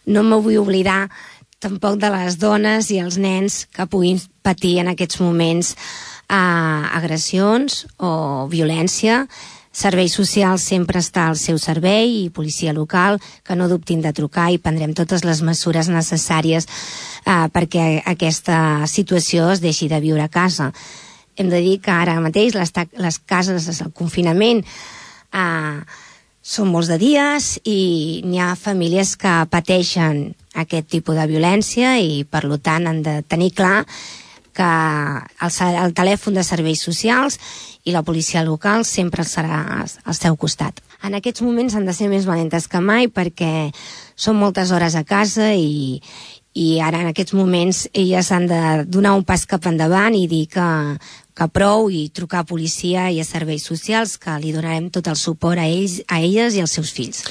no me vull oblidar tampoc de les dones i els nens que puguin patir en aquests moments agressions o violència. Serveis socials sempre està al seu servei i policia local, que no dubtin de trucar i prendrem totes les mesures necessàries perquè aquesta situació es deixi de viure a casa. Hem de dir que ara mateix les cases, el confinament, són molts de dies i n'hi ha famílies que pateixen aquest tipus de violència i per tant han de tenir clar que el telèfon de serveis socials i la policia local sempre serà al seu costat. En aquests moments han de ser més valentes que mai perquè són moltes hores a casa i ara en aquests moments elles han de donar un pas cap endavant i dir que prou i trucar a policia i a serveis socials, que li donarem tot el suport a elles i als seus fills.